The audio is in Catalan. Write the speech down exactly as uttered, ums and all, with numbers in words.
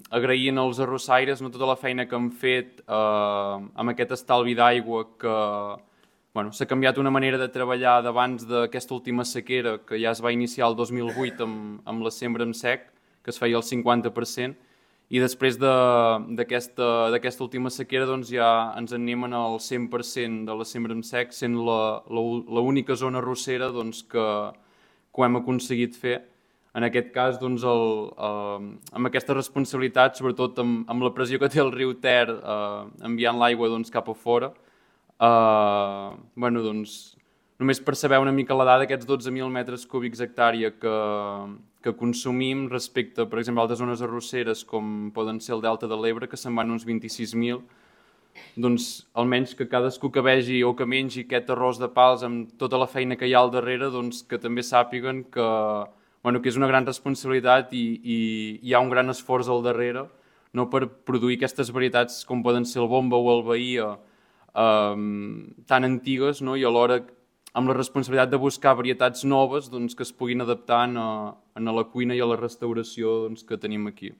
agraint als arrossaires, no, tota la feina que han fet eh, amb aquest estalvi d'aigua que bueno, s'ha canviat una manera de treballar d'abans d'aquesta última sequera que ja es va iniciar el dos mil vuit amb, amb la sembra en sec, que es feia el cinquanta per cent, i després d'aquesta última sequera doncs, ja ens en anem al cent per cent de la sembra en sec, sent l'única zona arrossera doncs, que, que ho hem aconseguit fer. En aquest cas, doncs, el, eh, amb aquesta responsabilitat, sobretot amb, amb la pressió que té el riu Ter eh, enviant l'aigua doncs, cap a fora, eh, bueno, doncs, només per saber una mica la dada, aquests dotze mil metres cúbics hectàrea que, que consumim respecte, per exemple, a altres zones arrosseres com poden ser el Delta de l'Ebre, que se'n van uns vint-i-sis mil, doncs almenys que cadascú que vegi o que mengi aquest arròs de pals amb tota la feina que hi ha al darrere, doncs que també sàpiguen que, bueno, que és una gran responsabilitat i, i hi ha un gran esforç al darrere, no, per produir aquestes varietats com poden ser el Bomba o el Bahia, eh, tan antigues, no, i alhora amb la responsabilitat de buscar varietats noves doncs, que es puguin adaptar a, a la cuina i a la restauració doncs, que tenim aquí.